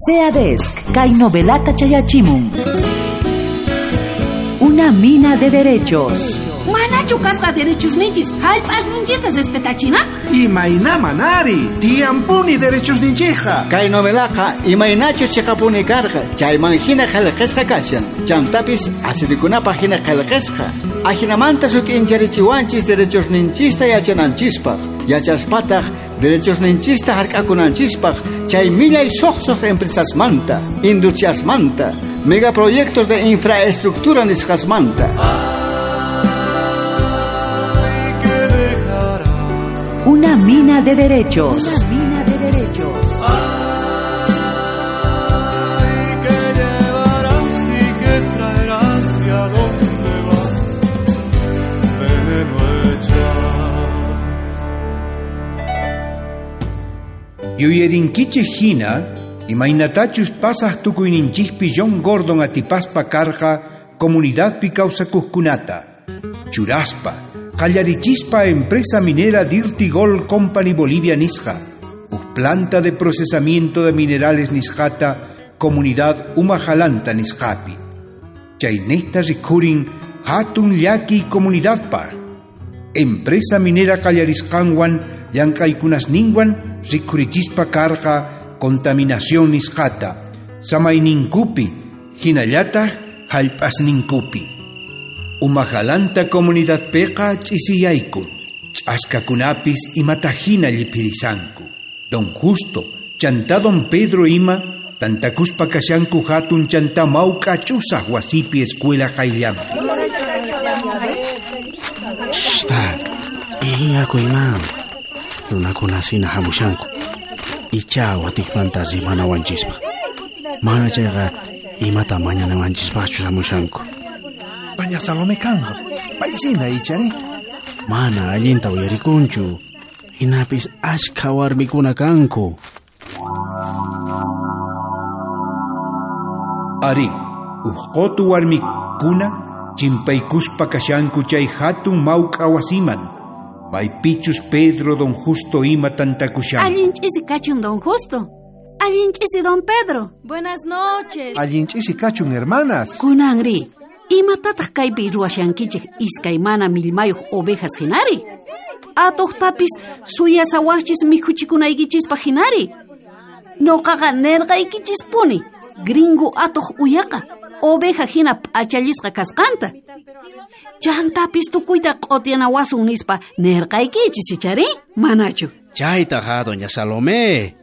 SEADESC, kay novelata chayachimun. Una mina de derechos. Manachu kasqa derechos ninchis, hallp'as ninchista respetachina? Imayna manari, tiyampuni derechos ninchija. Kay novelaqa imaynachus chiqapuni karqa, chayman hina qillqasqa kashan. Chantapis asirikunapaq hina qillqasqa. Ajinamanta sut'incharichiwanchis derechos ninchista yachananchispaq. Yachaspataq derechos ninchista hark'akunanchispaq, chay millay suqsuq empresasmanta, industriasmanta, megaproyectos de infraestructura nisqasmanta. Una mina de derechos. Una mina de derechos. Ay, que llevarás y que traerás y a dónde vas, veneno echas. Yuyarinkichej hina, imaynatachus pasaj tukuyninchikpi John Gordon atipaspa karqa comunidadpi kawsakuqkunata, churaspa, qallarichispa empresa minera Dirty Gold Company Bolivia nisqa, uj planta de procesamiento de minerales nisqata comunidad Umajalanta nisqapi. Chaynejta rikhurin hatun llaki comunidadpaj. Empresa minera qallarisqanwan llank'aykunasninwan rikhurichispa karqa contaminación nisqata, samayninkupi, hinallataj hallp'asninkupi. Umajalanta comunidadpiqa ch'isiyayku, ch'askakunapis imatahina lliphirisanku. Don Justo, chantá Don Pedro ima, tantakuspa kashanku hatun chantá mawk'a ch'usaj wasipi escuela qayllanpi. Shta, p'iñakuyman. Runakuna sina hamushanku. Icha watikmanta rimanawanchispaq. Mana chayqa imata mañanawanchispaqchu hamushanku. Doña Salomé kanqa, paysina ichari. Mana allinta uyarikunchu. Hinapis ashkha warmikuna kanku. Ari, uj qutu warmikuna chimpaykuspa kashanku chay hatun mawk'a wasiman. Maypichus Pedro Don Justo ima tantakushanku. Allin ch'isi kachun Don Justo. Allin ch'isi Don Pedro. Buenas noches. Allin ch'isi kachun hermanas. Kunanri, imatataq kaypi ruwashankichik iskay mana millmayuq ovejas hinari? Atuqtapis suyasawaqchis mikhuchikunaykichispaq hinari. Nuqaqa nirqaykichispuni, gringo atuq uyaqa, oveja hina p'achallisqa kasqanta. Chantapis tukuyta q'utiyanawasun nispa nirqaykichis ichari, manachu? Chaytaqa doña Salomé.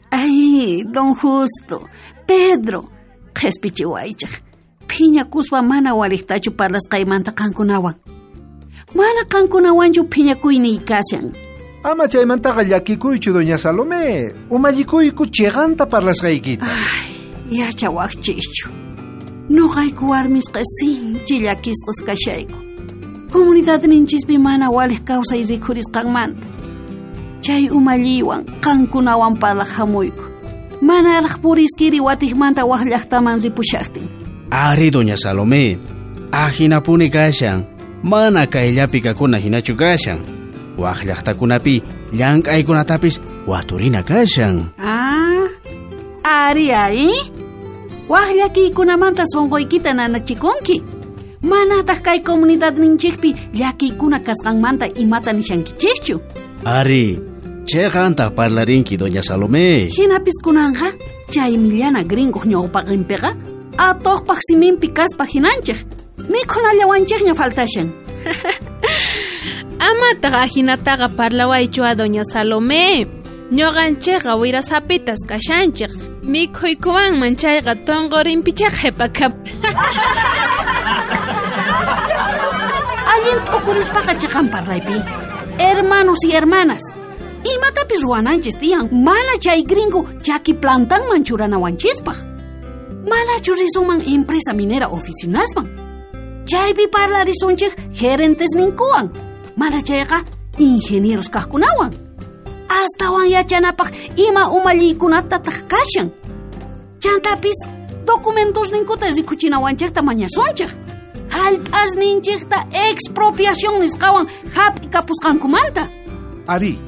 Ay, Don Justo, Pedro, qhispichiwaychik. Phiñakuspa mana waliqtachu parlasqaymanta qankunawan. Mana qankunawanchu phiñakuyniy kashan. Ama chaymantaqa llakikuychu doña Salomé. Umallikuyku chiqanta parlasqaykita. Ay, yachawaqchischu. Nuqayku warmisqa sinchi llakisqas kashayku. Comunidadninchispi mana waliq kawsay rikhurisqanmanta. Chay umalliwan qankunawan parlaq hamuyku. Manaraq puriskiri watiqmanta waq llaqtaman ripushaqtin. Ari, doña Salomé, ajinapuni kashan, mana kayllapi kakuna hinachu kashan. Waq llaqtakunapi llank'aykunatapis waturina kashan. Ah, ari ay. Waq llakiykunamanta sunquykita nanachikunki. Manataq kay comunidadninchikpi llakiykuna kasqanmanta imata nishankichischu. Ari, chiqanta parlarinki doña Salomé. Hinapis kunanqa chay millana gringoq ñawpaqinpiqa atuqpaq siminpi kaspa hinanchik. Mikhunallawanchikña faltashan. Amataq ajinataqa parlawaychu a doña Salomé. Ñuqanchikqa wirasapitas kashanchik. Mikhuykuwanman chayqa tonqorinpichá qhipakap. Allin t'ukurispaqa chiqan parlaypi. Hermanos y hermanas, imatapis ruwananchis tiyan mana chay gringo chaki plantanman churanawanchispaq. Manachu risunman empresa minera oficinasman. Chaypi parlarisunchik gerentesninkuwan. Mana chayqa ingenieros kaqkunawan. Astawan yachanapaq ima umalliykunatataq kashan. Chantapis documentosninkuta rikuchinawanchikta mañasunchik. Hallp'asninchikta expropiación nisqawan hap'ikapusqankumanta. Ari,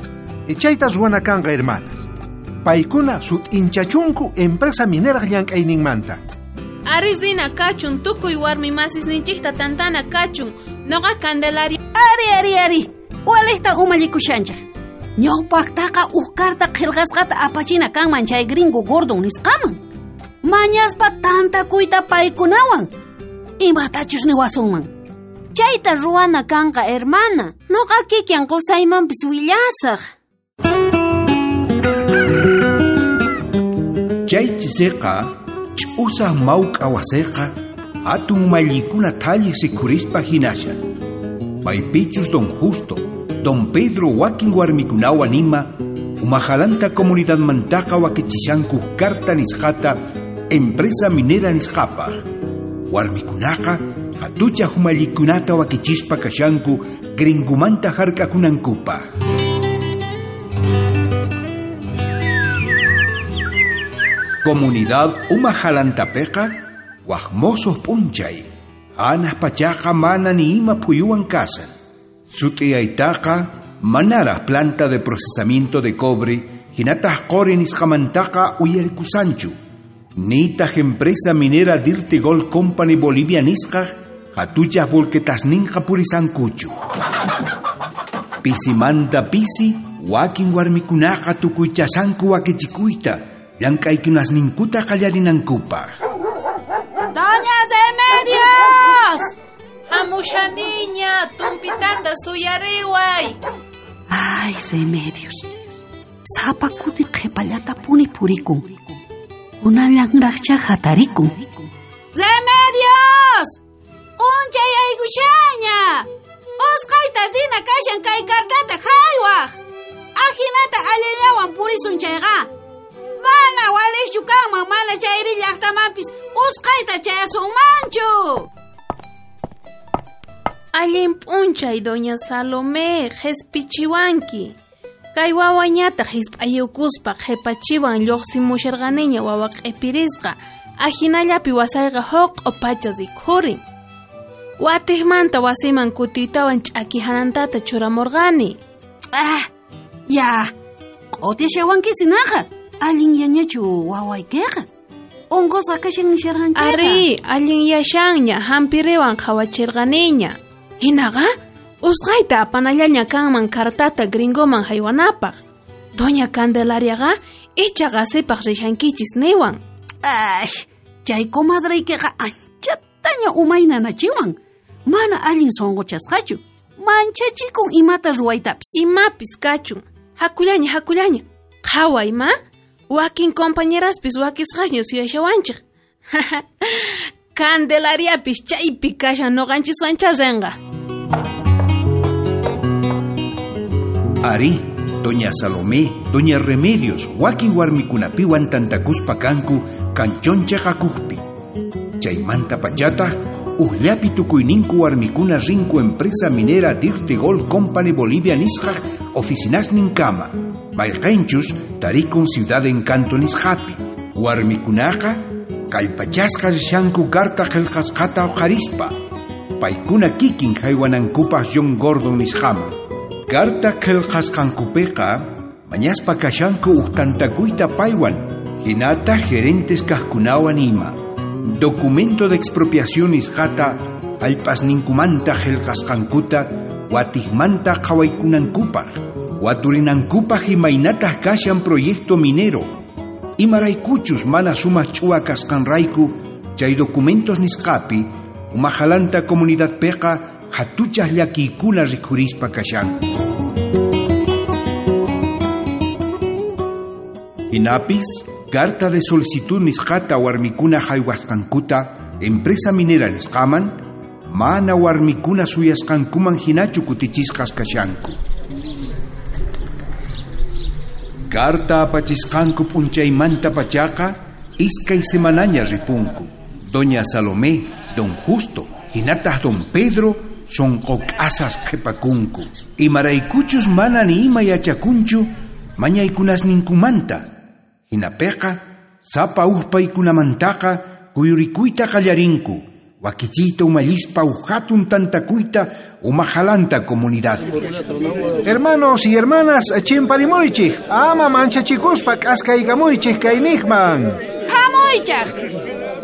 chayta ruwana kanqa hermanas. Paykuna sut'inchachunku empresa minera llank'ayninmanta. Ari rina kachun, tukuy warmi masisninchikta tantana kachun. Noqa Candelaria. Ari, ari, ari. Walejta umallikushanchik. Ñawpaqtaqa uj carta qillqasqata apachina kanman chay gringo Gordon nisqaman. Mañaspa tantakuyta paykunawan. Imatachus niwasunman. Chayta ruwana kanqa, hermana. Noqa kikin qusaymanpis willasaq. Chay chisiqa, ch'usaq mawk'a wasiqa, hatun umallikuna thalliq rikhurispa hinashan. Maypichus don Justo, don Pedro wakin warmikunawan ima, umajalanta comunidadmantaqa wakichishanku carta nisqata empresa minera nisqapaq. Warmikunaqa hatuchaq umallikunata wakichispa kashanku gringumanta hark'akunankupaq. Comunidad umajalantapiqa waj mosoq p'unchay, hanaq pachaqa mana ni ima phuyuwan kasan. Sut'iyaytaqa manaraq planta de procesamiento de cobre hinataq qori nisqamantaqa uyarikusanchu. Nitaq empresa minera Dirty Gold Company Bolivia nisqaq hatuchaq volquetasninqa purisankuchu. Pisimanta pisi wakin warmikunaqa tukuychasanku wakichikuyta llank'aykunasninkuta qallarinankupaq. ¡Doña Remedios! Hamushaniña, tumpitata suyariway. Ay, Remedios. Sapa kuti qhipallatapuni purikun. Unallanraqcha hatarikun. ¡Remedios! Unchay aykushaña. Usqayta rina kashan kay cartata haywaq. Ajinata allillawan purisun chayqa. Mana walichu kanman mana chayri llaqtamanpis usqayta chayasunmanchu. Allin p'unchay, doña Salomé, qhispichiwanki. Kay wawañataq hisp'ayukuspa qhipachiwan lluqsimusharqaniña wawa q'ipirisqa. Ajinallapi wasayqa huq'u pacha rikhurin. Watiqmanta wasiman kutiytawan ch'aki hanantata churamurqani. Ah, ya, q'utishawankisinaqa. Allin yañachu wawaykiqa. Unqusqa kashan nisharqankiqa. Ari, allin yashanña, hampiriwan qhawachirqaniña. Hinaqa, usqayta apanallaña kanman cartata gringoman haywanapaq. Doña Candelariaqa icha qasipaq rishankichis niwan. Ay, chay comadreykiqa anchataña umaynanachiwan. Mana allin sunquchasqachu. Manchachikun imata ruwaytapis. Imapis kachun. Hakullaña, hakullaña. Qhaway ma. Wakin compañeraspis wakisqasña suyashawanchik. Candelariapis chaypi kashan noqanchiswancha rinqa. Ari, doña Salomé, doña Remedios, wakin warmikunapiwan tantakuspa kanku kanchoncha qakujpi. Chaymanta pachataq ujllapi tukuyninku warmikuna rinku empresa minera Dirty Gold Company Bolivia nisqaq oficinasninkama. Mayqinchus tarikun Ciudad Encanto nisqapi. Warmikunaqa kallpachasqa rishanku carta qillqasqata uqharispa. Paykuna kikin haywanankupaq John Gordon nisqaman. Carta qillqasqankupiqa mañaspa kashanku uj tantakuyta paywan hinata gerentes kaqkunawan ima. Documento de expropiación nisqata hallp'asninkumanta qillqasqankuta watiqmanta qhawaykunankupaq. Waturinankupaq imaynataq kashan proyecto minero. Imaraykuchus mana sumaq ch'uwa kasqanrayku chay documentos nisqapi umajalanta comunidadpiqa hatuchaq llakiykuna rikhurispa kashanku. Hinapis, carta de solicitud nisqata warmikuna haywasqankuta empresa minera nisqaman mana warmikuna suyasqankuman hinachu kutichisqas kashanku. Carta apachisqanku p'unchaymanta pachaqa iskay semanaña ripunku. Doña Salomé, don Justo, hinataq don Pedro sunquk'asas qhipakunku. Imaraykuchus mana ni ima yachakunchu mañaykunasninkumanta. Hinapiqa sapa uj paykunamantaqa kuyurikuyta qallarinku Wakichiyta umallispa uhatun tantakuyta umajalanta comunidad. Hermanos y hermanas, chimparimuychik, ama manchachikuspa k'askaykamuychik kaynijman. Hamuychaj,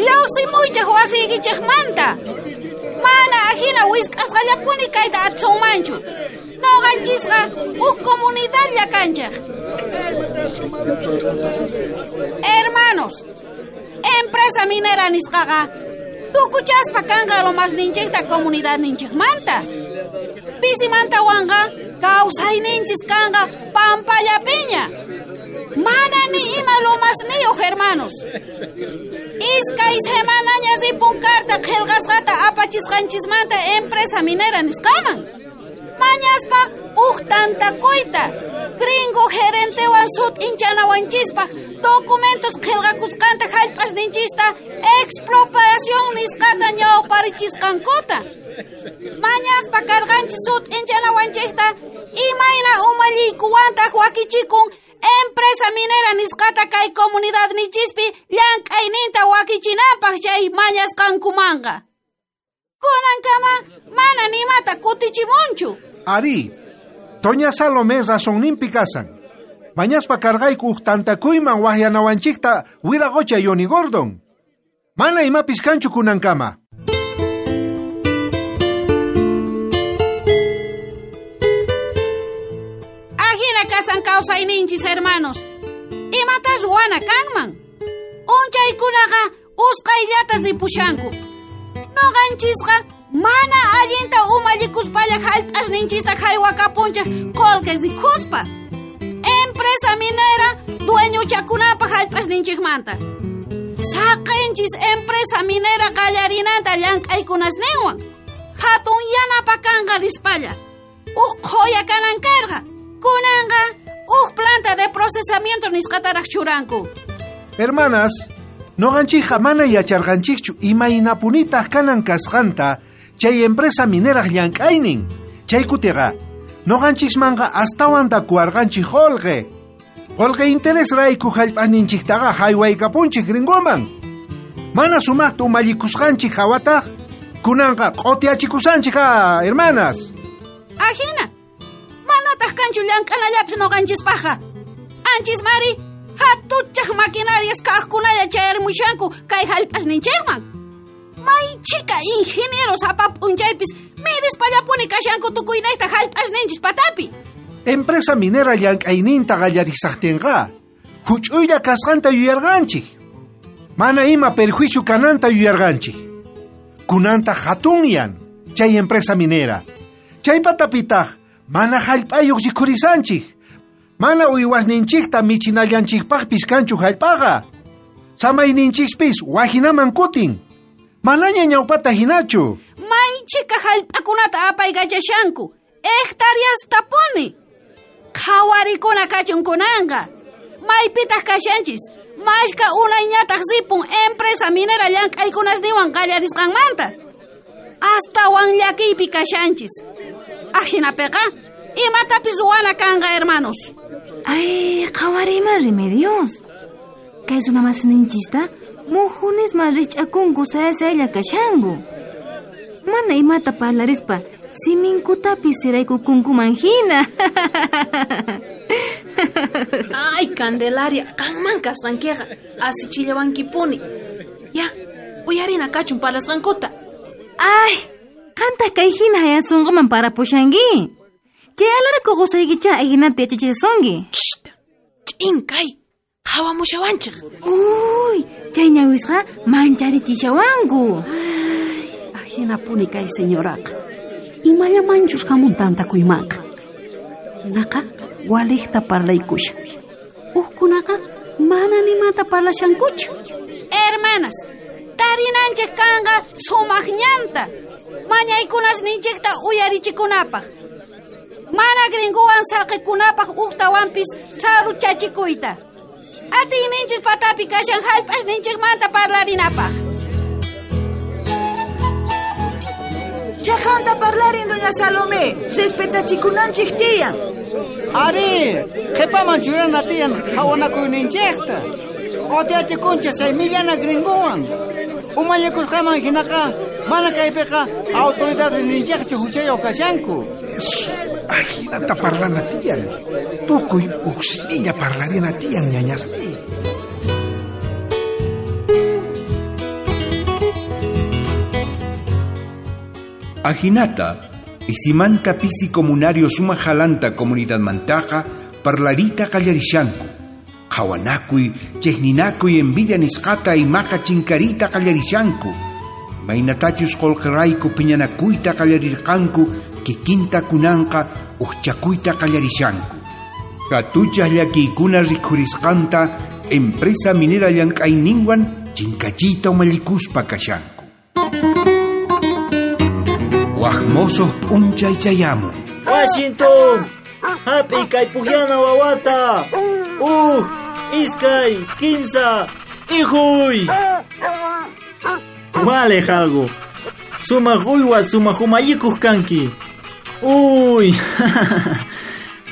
lluqsimuychaj wasiykichikmanta. Mana ajina wisk'asqallapuni kayta atsunmanchu. Noqanchisqa uj comunidadlla kanchik. Hermanos, empresa minera nisqaqa tukuchaspa kanqa lomasninchikta comunidadninchikmanta. Pisimantawanqa kawsayninchis kanqa pampallapiña. Mana ni ima lomasniyuq, hermanos. Iskay semanaña ripun carta qillqasqata apachisqanchismanta empresa minera nisqaman. Mañaspa uj tantakuyta gringo gerentewan sut'inchanawannchispaj documentos qillqakusqanta jallp'asninchista expropiación nisqata ñawparichisqankuta. Mañaspa karqanchis sut'inchanawanchikta imayna umalliykuwantaq wakichikun empresa minera nisqata kay comunidadnichispi llank'ayninta wakichinanpaq chay mañasqankumanqa. Kunankama mana nimata kutichimunchu. Ari, Doña Salomé razonninpi kasan. Mañaspa karqayku uj tantakuyman wajyanawanchikta wiraqocha Yoni Gordon. Mana imapis kanchu kunankama. Ajina kasan kawsayninchis, hermanos. Imatas ruwana kanman. Unchaykunaqa usqhayllata ripushanku. Noqanchisqa mana allinta umallikuspalla jallp'asninchista jaywakapunchik qullqi rikuspa. Empresa minera dueñochakunapaq jallp'asninchikmanta. Saqinchis empresa minera qallarinanta llank'aykunasninwan. Hatun yanapa kanqa rispalla. Uj qhoya kanan karqa. Kunanqa uj planta de procesamiento nisqataraq churanku. Hermanas, noqanchikqa mana yacharqanchikchu imaynapunitaq kanan kasqanta chay empresa mineraj llank'aynin. Chay kutiqa noqanchismanqa astawan takuwarqanchik qullqi. Qullqi interés rayku jallp'asninchiktaqa jaywaykapunchik gringoman. Mana sumaqta umallikusqanchik hawataq kunanqa q'utiachikushanchik, hermanas. Ajina, manataq kanchu llank'anallapis noqanchispaqqa. Anchismari hatuchaq maquinarias kaqkunalla chayarimushanku kay jallp'asninchikman. May chika ingenieros apap'unchaypis midispallapuni kashanku tukuynayta jallp'asninchis patapi. Empresa minera llank'ayninta qallarisaqtinqa huch'uylla kasqanta yuyarqanchik. Mana ima perjuicio kananta yuyarqanchik. Kunanta hatunyan chay empresa minera. Chay patapitaq mana jallp'ayuq rikhurisanchik. Mana uywasninchikta michinallanchikpaqpis kanchu jallp'aqa. Samayninchikpis wajinaman kutin. Manaña ñawpata hinachu. May chika jallp'akunata apaykachashanku. Hectáreas tapuni. Qhawarikuna kachun kunanqa. Maypitaq kashanchis. Mashka unayñataq ripun empresa minera llank'aykunasniwan qallarisqanmanta. Astawan llakiypi kashanchis. Ajinapiqa imatapis ruwana kanqa, hermanos. Ay, qhawariyman Remedios. Kay runamasninchista mujunisman rich'akunku sayasaylla kashanku. Mana imata parlarispa siminkutapis siraykukunkuman hina. Ay, Candelaria, qanman kasqankiqa asichillawankipuni. Ya, uyarina kachun parlasqankuta. Ay, qantaq kay hina hayasunquman parapushanki. Chay alarako qusaykicha ajinata yachachisunki. Sht, ch'in kay, qhawamushawanchik. Uy, chay ñawisqa mancharichishawanku. Ay, ajinapuni kay señoraqa. Imallamanchus hamun tantakuymanqa. Hinaqa waliqta parlaykusha. Ujkunaqa mana nimata parlashankuchu. Hermanas, tarinanchik kanqa sumaq ñanta. Mañaykunasninchikta uyarichikunapaq. Mana gringuwan saqikunapaq uqtawanpis saruchachikuyta. Atiyninchik patapi kashan jallp'asninchikmanta parlarinapaq. Chaqanta parlarin, doña Salomé. Respetachikunanchik tiyan. Ari, qhipaman churana tiyan Mana kaypiqa autoridades ninchaqchu huchayuq kashanku. Ajinata parlana tiyan. Tukuy uj similla parlarina tiyan ñañasniy. Ajinata, isimanta pisi comunario suma jalanta comunidad mantaqa parlarita qallarishanku. Qhawanakuy, chejninakuy envidia nisqata imaqa chinkarita qallarishanku. Imaynatachus qullqirayku phiñanakuyta qallarirqanku, kikinta kunanqa ujchakuyta qallarishanku. Hatuchaj llakiykuna rikhurisqanta empresa minera llank'ayninwan chinkachiyta umallikuspa kashanku. Waj mosoj p'unchay chayamun. Washington, hap'iy kay pujllana wawata. Uj, iskay, kinsa, ijuy. Walej algo. Sumaq uywa sumaq umayikuq kanki. Uy,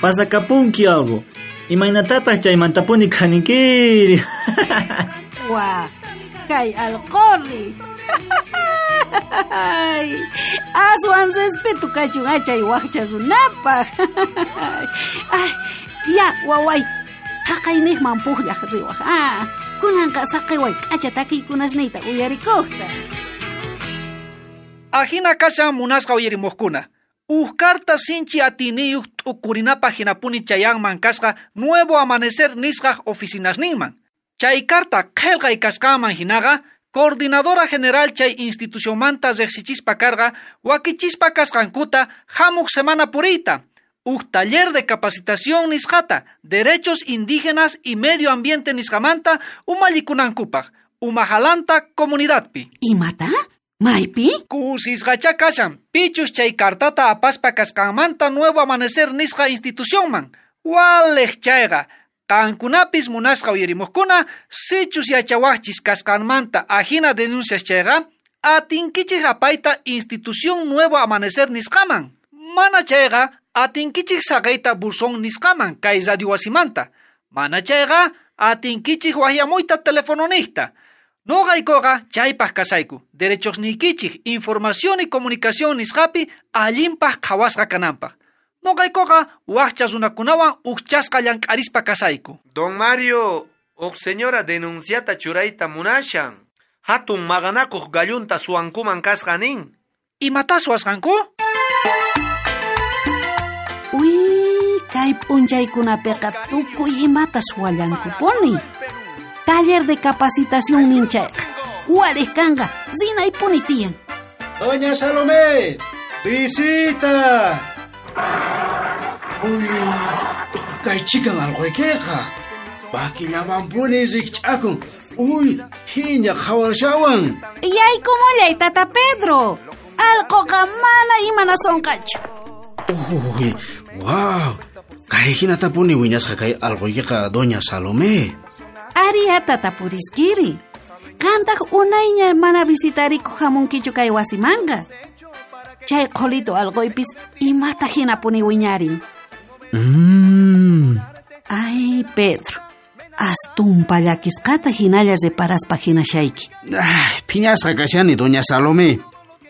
pasakapunki algo. Imaynatataq chaymantapuni kaninkiri. Wa, kay alqorri. Ay, aswan respeto kachun achay waqcha runapaq. Ay, ya, waway, haqayniqman pujllaq riwaq. Ah, kunanqa saqiway k'acha takiykunasniyta uyarikuqta. Ajina kashan munasqa uyarimuqkuna. Uj carta sinchi atiniyuq t'ukurinapaq hinapuni chayanman kasqa Nuevo Amanecer nisqaq oficinasninman. Chay carta qillqay kasqanman hinaqa Coordinadora General chay institucionmanta riqsichispa karqa wakichispa kasqankuta hamuq semana puriyta. Uj taller de capacitación nisqata derechos indígenas y medio ambiente nisqamanta umallikunankupaq umajalanta comunidadpi. Imata? Maypi? Kusisqacha kashan pichus chay cartata apaspa kasqanmanta Nuevo Amanecer nisqa institucionman. Waleq chayqa. Qankunapis munasqa uyarimuqkuna sichus yachawaqchis kasqanmanta ajina denuncias chayqa atinkichik apayta institución Nuevo Amanecer nisqaman. Mana chayqa atinkichik saqayta buzón nisqaman kay radio wasimanta. Mana chayqa atinkichik waqyamuyta telefononiqta. Noqaykuqa chaypaq kasayku derechos niykichik información y comunicación nisqapi allinpaq qhawasqa kananpaq. Noqaykuqa waqcha runakunawan ujchasqa llank'arispa kasayku. Don Mario, uj señora denunciata churayta munashan. Hatun maqanakuq gallunta suwankuman kasqa nin. Imata suwasqanku? Uy, kay p'unchaykunapiqa tukuy imata suwallankupuni. Taller de capacitación nin chayqa. Waliq kanqa, rinaypuni tiyan. Doña Salomé, visita. Uy, kay chikan alquykiqa. Pakillamanpuni rikch'akun. Uy, phiña qhawarshawan. Yaykumullay, tata Pedro. Alquqa mana imanasonqachu. Uy, wow. Kay hinatapuni wiñasqa kay alquykiqa doña Salomé. Ariya tata puriskiri. Qantaq unayña mana visitarikuq hamunkichu kay wasimanqa. Chay qhulito alquypis imata hinapuni wiñarin. Ay, Pedro, astumpa llakisqata hinalla reparaspa hinashayki. Ay, phiñasqa kashani doña Salomé.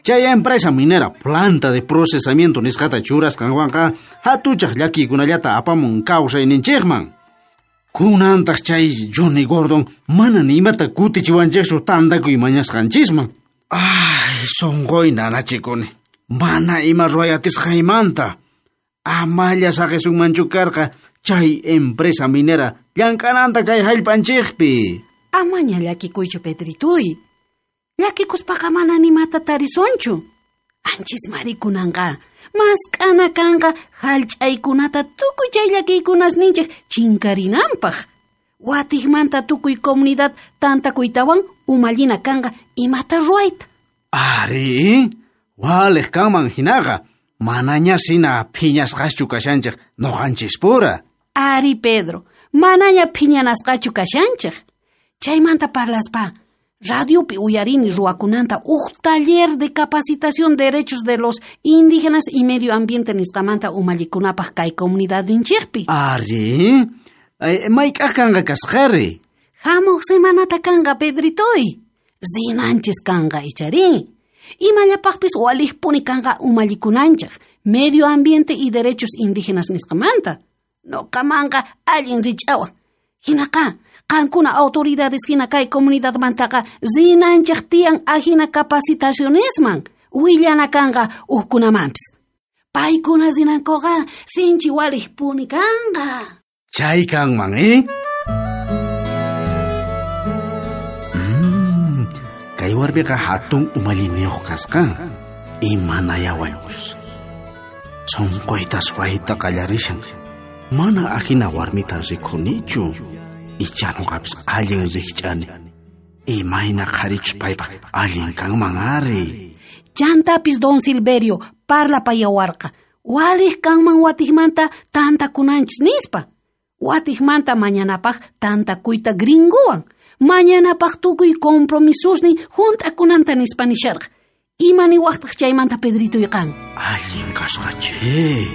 Chay empresa minera planta de procesamiento nisqata churasqanwanqa hatuchaq llakiykunallata apamun kawsayninchikman. Kunantaq chay Johnny Gordon mana ni imata kutichiwanchikchu tantakuy mañasqanchisman. Ay, sunquy nanachikuni. Mana ima ruway atisqaymanta. Amalla saqisunmanchu karqa chay empresa minera llank'ananta kay hallp'anchikpi. Amaña llakikuychu, Pedrituy. Llakikuspaqa mana nimata tarisunchu. Anchismari kunanqa. Mask'ana kanqa hallch'aykunata tukuy chay llakiykunasninchik chinkarinanpaq. Watiqmanta tukuy comunidad tantakuytawan umallina kanqa imata ruwayta. Ari, waliq kanman hinaqa. Manaña sina phiñasqaschu kashanchik noqanchispura. Ari, Pedro, manaña phiñanasqachu kashanchik. Chaymanta parlaspa, radiopi uyarini ruwakunanta uj taller de capacitación derechos de los indígenas y medio ambiente nisqamanta umallikunapaq kay comunidadninchikpi. Ari, mayk'aq kanqa kasqari? Hamuq semanata kanqa, Pedritoy. Rinanchis kanqa ichari. Imallapaqpis waliqpuni kanqa umallikunanchaq, medio ambiente y derechos indígenas nisqamanta. Noqamanqa allin rich'awan. Hinaqa, qankuna autoridades hina kay comunidadmantaqa rinanchaq tiyan ajina capacitacionisman, willana kanqa hukkunamanpis. Paykuna rinankuqa sinchi waliqpuni kanqa. Chay kanman, eh? Kay warmiqa hatun umalliniyuq kasqa. Imanayawaykus. Sunquyta suwayta qallarishan. Mana ajina warmita rikunichu. Icha nuqapis allin rikch'ani. Imayna qharichus paypaq allin kanman ari. Chantapis don Silverio parlapayawarqa. Waliq kanman watiqmanta tantakunanchis nispa. Watiqmanta mañanapaq tantakuyta gringuwan. Mañanapaq tukuy compromisusnin hunt'akunanta nispa nisharqa. Ima niwaqtaq chaymanta Pedrito yqan? Allin kasqa che.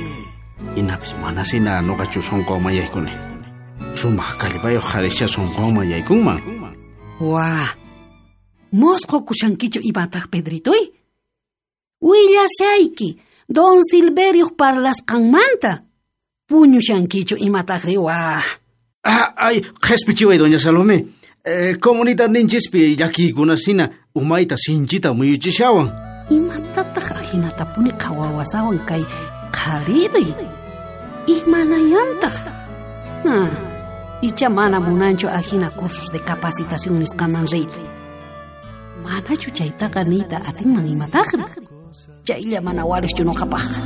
Inapis manasina nuqachu sunqunman yaykuni. Sumaq kallpayuq qharischa sunqunman yaykunman. Wa, mosqokushankichu imataq Pedritoy? Willashayki, don Silverioq parlasqanmanta. Puñushankichu imataqri wa. Ah, ay, qhispichiway doña Salomé. Comunidadninchispi llakiykunasina umayta sinchita muyuchishawan. Imatataq ajinatapuni qhawawasawan kay qhariri? Imanayantaq? Ah, icha mana munanchu ajina cursos de capacitación nisqaman riyta. Manachu chaytaqa niyta atinman imataqri? Chaylla mana waliqchu nuqapaqqa.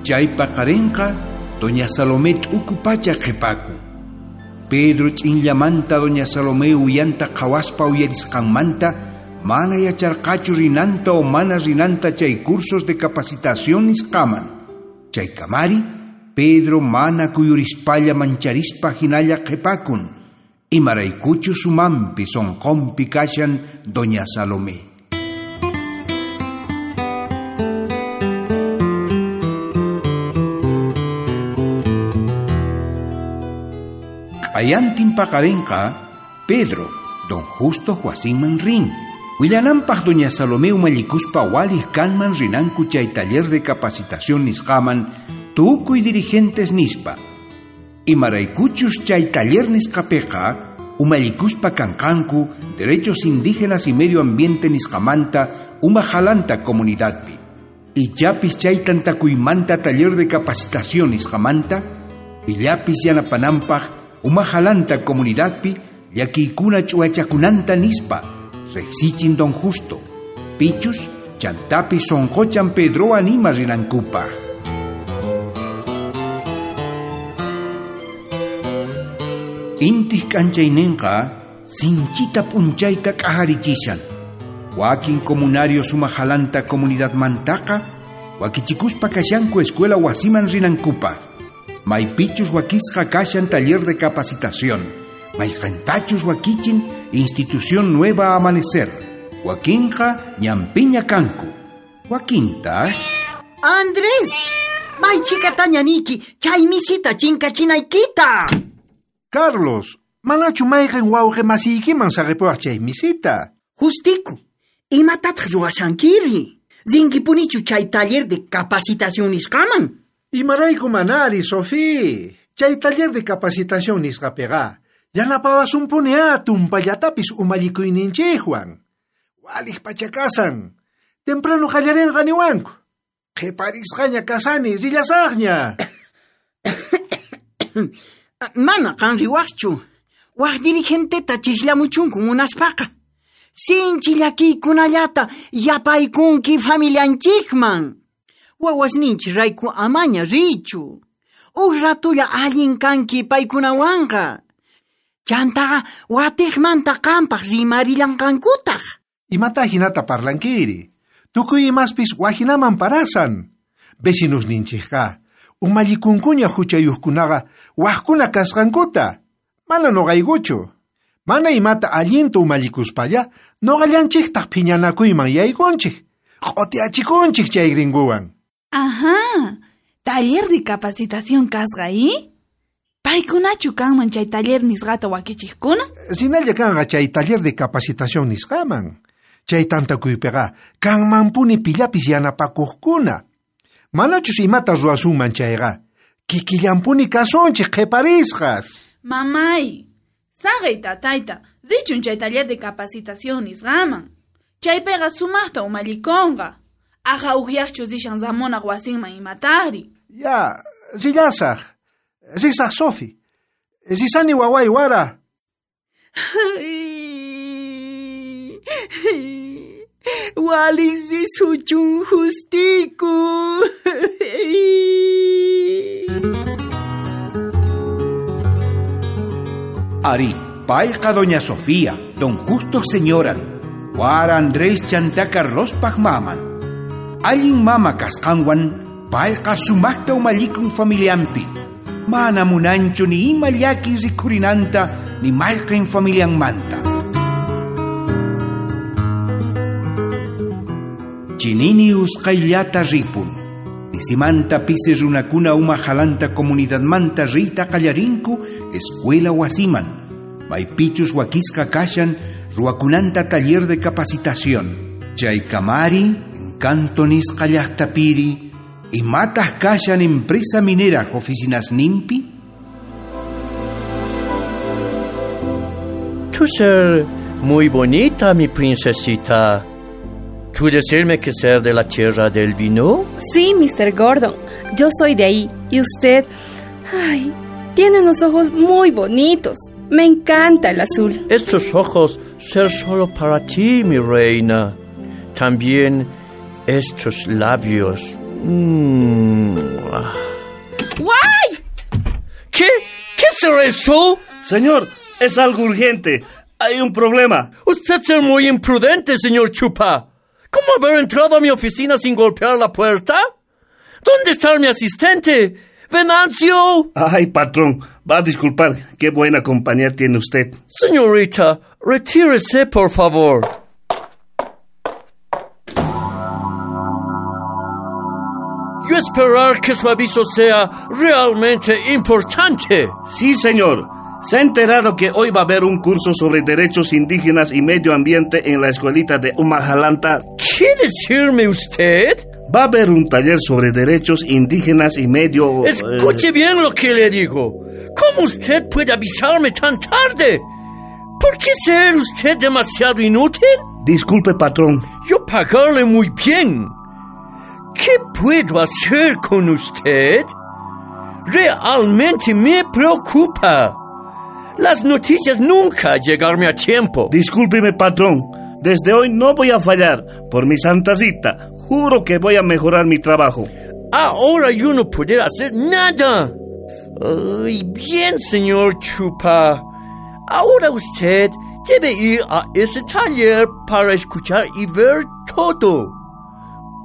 Chay paqarinqa doña Salomé t'uku pacha qhipaku. Pedro ch'inllamanta doña Salomé uyanta qhawaspa uyarisqanmanta mana yacharqachu rinanta o mana rinanta chay cursos de capacitación nisqaman. Chaykamari Pedro mana kuyurispalla mancharispa hinalla qhipakun. Imaraykuchu sumanpi sonqonpi kashan doña Salomé. Ayantin paqarinqa, Pedro, don Justo wasinman rin. Willananpaq doña Salomé umallikuspa waliq kanman rinanku chay taller de capacitación nisqaman tukuy dirigentes nispa. Imaraykuchus chay taller nisqapiqa umallikuspa kanqanku derechos indígenas y medio ambiente nisqamanta umajalanta comunidadpi. Ichapis chay tantakuymanta taller de capacitación nisqamanta pillapis yanapananpaq umajalanta comunidadpi llakiykuna ch'uwachakunanta nispa riqsichin don Justo. Pichus chantapi sonqochan Pedro anima rinankupaq. Intiq k'anchayninqa sinchita p'unchayta k'ajarichishan. Wakin comunarios umajalanta comunidadmantaqa wakichikuspa kashanku escuela wasiman rinankupaq. Maypichus wakisqa kashan taller de capacitación. Mayqantachus wakichin institución Nueva Amanecer. Wakinqa ñampiña kanku. Wakinta... Andrés, maychikataña niki, chay misita chinkachinaykita. Carlos, manachu mayqin wawqi masiykiman saqipuwaq chay misita? Justiku, imatataq ruwashankiri? Rinkipunichu chay taller de capacitación nisqaman? Imarayku manari, Sofí. Chay taller de capacitación nisqapiqa yanapawasunpuni tumpallatapis umallikuyninchikwan. Waliq pacha kasan. Temprano qallarinqa niwanku. Qhiparisqaña kasani, rillasaqña. Mana qan riwaqchu. Waq dirigenteta chiqllamuchunku munaspaqa. Sinchi llakiykunallata yapaykunki familianchikman. Wawasninchik rayku amaña richu. Uj ratulla allin kanki paykunawanqa. Chantaqa watiqmanta qampaq rimarillanqankutaq. Imata hinata parlankiri. Tukuy imaspis wajinaman parasan. Vecinosninchikqa umallikunkuña huchayuqkunaqa waqkuna kasqankuta. Mana nuqaykuchu. Mana imata allinta umallikuspalla nuqallanchiktaq phiñanakuyman yaykunchik. Q'utiachikunchik chay gringuwan. Ajá, taller de capacitación kasqa, ¿eh? Paykunachu kanman chay taller nisqata wakichiqkuna? Rinalla kanqa chay taller de capacitación nisqaman. Chay tantakuypiqa kanmanpuni pillapis yanapakuqkuna. Manachus imata ruwasunman chayqa, kikillanpuni kasunchik qhiparisqas. Mamay, saqey tatayta, richun chay taller de capacitación nisqaman. Chaypiqa sumaqta umallikunqa. Aja uqyaqchu rishan Ramonaq wasinman imataqri. Ya, rillasaq. Risaq Sofi. Risani waway wara. Waliq risuchun Justiku. Ari, payqa doña Sofía, don Justo señoran, wara Andrés chanta Carlospaj maman. Allin mama kasqanwan, payqa sumaqta umallikun familianpi. Mana munanchu ni ima llaki rikhurinanta ni mayqin familianmanta. Chinini usqayllata ripun. Pisimanta pisi runakuna umajalanta comunidadmanta riyta qallarinku escuela wasiman. Maypichus wakisqa kashan ruwakunanta taller de capacitación. Chaykamari, encanto nisqa llaqtapiri, imataq kashan empresa minera oficinas nimpi? Tú ser muy bonita, mi princesita. ¿Tú decirme que ser de la tierra del vino? Sí, Mr. Gordon. Yo soy de ahí. Y usted... Ay, tiene unos ojos muy bonitos. Me encanta el azul. Estos ojos ser solo para ti, mi reina. También estos labios. ¡Guay! ¿Qué? ¿Qué será eso? Señor, es algo urgente. Hay un problema. Usted es muy imprudente, señor Chupa. ¿Cómo haber entrado a mi oficina sin golpear la puerta? ¿Dónde está mi asistente? ¡Venancio! Ay, patrón, va a disculpar. Qué buena compañía tiene usted. Señorita, retírese, por favor. Yo esperar que su aviso sea realmente importante. Sí, señor. Se ha enterado que hoy va a haber un curso sobre derechos indígenas y medio ambiente en la escuelita de Umajalanta. ¿Qué decirme usted? Va a haber un taller sobre derechos indígenas y medio... Escuche bien lo que le digo. ¿Cómo usted puede avisarme tan tarde? ¿Por qué ser usted demasiado inútil? Disculpe, patrón. Yo pagarle muy bien. ¿Qué puedo hacer con usted? Realmente me preocupa. Las noticias nunca llegarme a tiempo. Discúlpeme, patrón. Desde hoy no voy a fallar. Por mi santa cita, juro que voy a mejorar mi trabajo. Ahora yo no puedo hacer nada. Ay, bien, señor Chupa. Ahora usted debe ir a ese taller para escuchar y ver todo.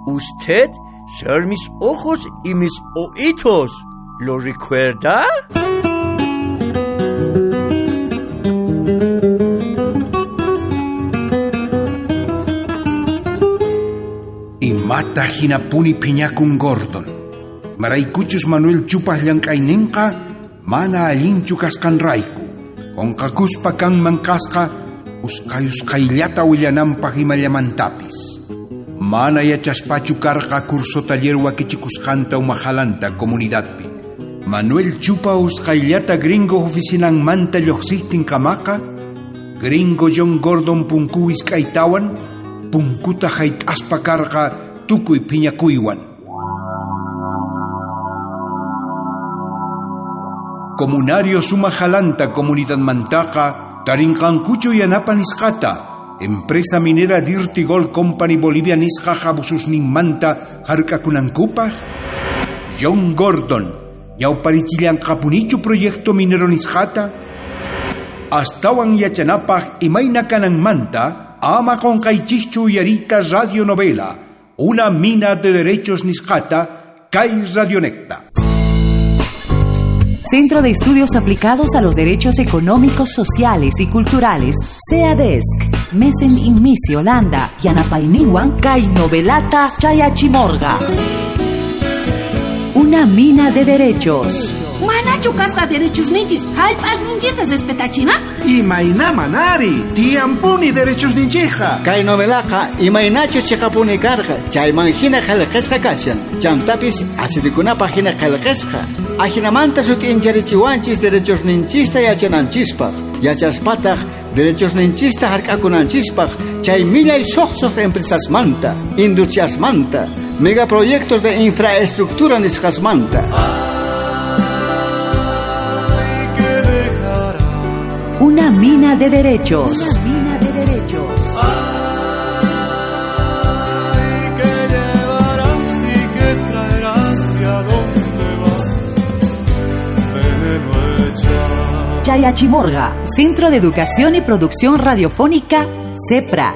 Usted ser mis ojos y mis oídos. ¿Lo recuerda? Imata hinapuni phiñakun Gordon. Maraykuchus Manuel Chupas llank'ayninqa mana allinchu kasqanrayku. Qunqakuspa kanman kasqa usqhay usqhayllata willananpaq imallamantapis. Mana yachaspachu karqa curso taller wakichikusqanta umajalanta comunidadpi. Manuel Chupa usqhayllata gringo oficinanmanta lluqsiptin kamaqa, gringo John Gordon punku iskaytawan, punkuta hayt'aspa karqa tukuy phiñakuywan. Comunario Sumajalanta comunidadmantaqa tarinqankuchu yanapa nisqata. Empresa minera Dirty Gold Company Bolivia nisqa abususninmanta hark'akunankupaq. John Gordon ñawparichillanqapunichu proyecto minero nisqata. Astawan yachanapaq imayna kananmanta ama qunqaychikchu uyariyta radionovela Una mina de derechos nisqata kay Radionecta. Centro de Estudios Aplicados a los Derechos Económicos, Sociales y Culturales, CEADESC, Mesen Inmisi, Holanda, Yanapayninwan, Kay Novelata, Chayachimorga. Una mina de derechos. Manachu kasqa derechosninchis hallp'asninchista respetachina? Imayna manari, tiyanpuni derechosninchikqa. Kay novelaqa imaynachus chiqapuni karqa, chayman hina qillqasqa kashan. Chantapis asirikunapaq hina qillqasqa. Ajinamanta sut'incharichiwanchis derechosninchista yachananchispaq. Yachaspataq derechosninchista hark'akunanchispaq chay millay suqsuq empresasmanta, industriasmanta, megaproyectos de infraestructura nisqasmanta. Una mina de derechos. Una mina de derechos. Ay, ¿qué llevarás y qué traerás y a dónde vas? Veneno echas. Chayachimorga, Centro de Educación y Producción Radiofónica, CEPRA.